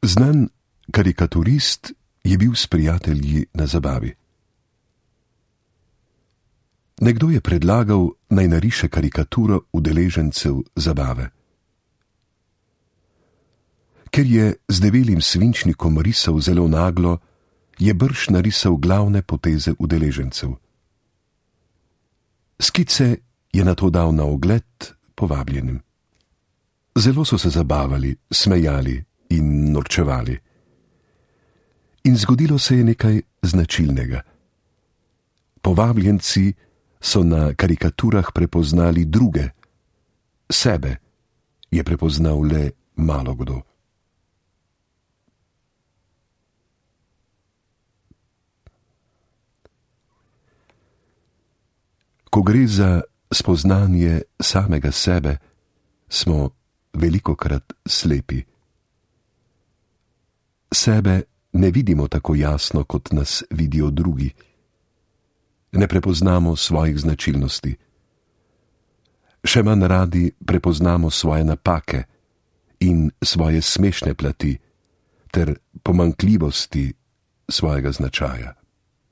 Znan karikaturist je bil s prijatelji na zabavi. Nekdo je predlagal, naj nariše karikaturo udeležencev zabave. Ker je z debelim svinčnikom risal zelo naglo, je brž narisal glavne poteze udeležencev. Skice je nato dal na ogled povabljenim. Zelo so se zabavali, smejali in norčevali. In zgodilo se je nekaj značilnega. Povabljenci so na karikaturah prepoznali druge, sebe je prepoznal le malokdo. Ko gre za spoznanje samega sebe, smo velikokrat slepi. Sebe ne vidimo tako jasno, kot nas vidijo drugi. Ne prepoznamo svojih značilnosti. Še manj radi prepoznamo svoje napake in svoje smešne plati ter pomanjkljivosti svojega značaja.